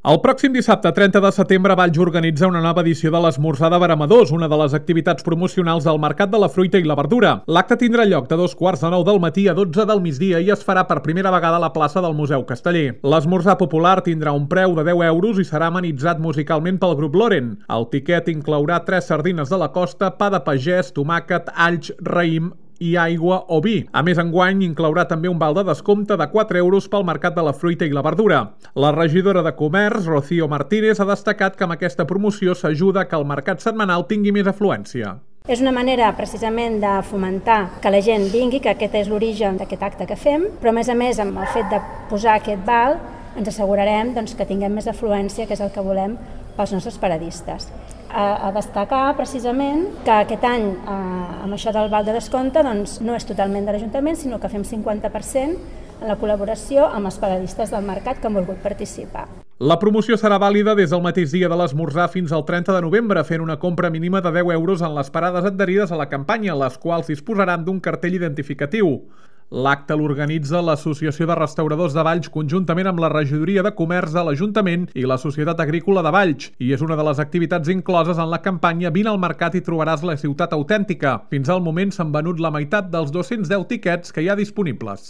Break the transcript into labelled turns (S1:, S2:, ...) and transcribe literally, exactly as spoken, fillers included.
S1: El pròxim dissabte, trenta de setembre, Valls organitza una nova edició de l'Esmorzar de Veremadors, una de les activitats promocionals del Mercat de la Fruita i la Verdura. L'acte tindrà lloc de dos quarts de nou del matí a dotze del migdia i es farà per primera vegada a la plaça del Museu Casteller. L'esmorzar popular tindrà un preu de deu euros i serà amenitzat musicalment pel grup Loren. El tiquet inclourà tres sardines de la costa, pa de pagès, tomàquet, alls, raïm i aigua o vi. A més, enguany inclourà també un val de descompte de quatre euros pel Mercat de la Fruita i la Verdura. La regidora de Comerç, Rocío Martínez, ha destacat que amb aquesta promoció s'ajuda que el mercat setmanal tingui més afluència.
S2: És una manera precisament de fomentar que la gent vingui, que aquest és l'origen d'aquest acte que fem, però a més a més amb el fet de posar aquest val ens assegurarem doncs, que tinguem més afluència, que és el que volem pels nostres paradistes. A, a destacar precisament que aquest any eh, amb això del val de descompte doncs, no és totalment de l'Ajuntament, sinó que fem cinquanta per cent en la col·laboració amb els paradistes del mercat que han volgut participar.
S1: La promoció serà vàlida des del mateix dia de l'esmorzar fins al trenta de novembre, fent una compra mínima de deu euros en les parades adherides a la campanya, les quals disposaran d'un cartell identificatiu. L'acte l'organitza l'Associació de Restauradors de Valls conjuntament amb la Regidoria de Comerç de l'Ajuntament i la Societat Agrícola de Valls, i és una de les activitats incloses en la campanya Vine al mercat i trobaràs la ciutat autèntica. Fins al moment s'han venut la meitat dels dos-cents deu tiquets que hi ha disponibles.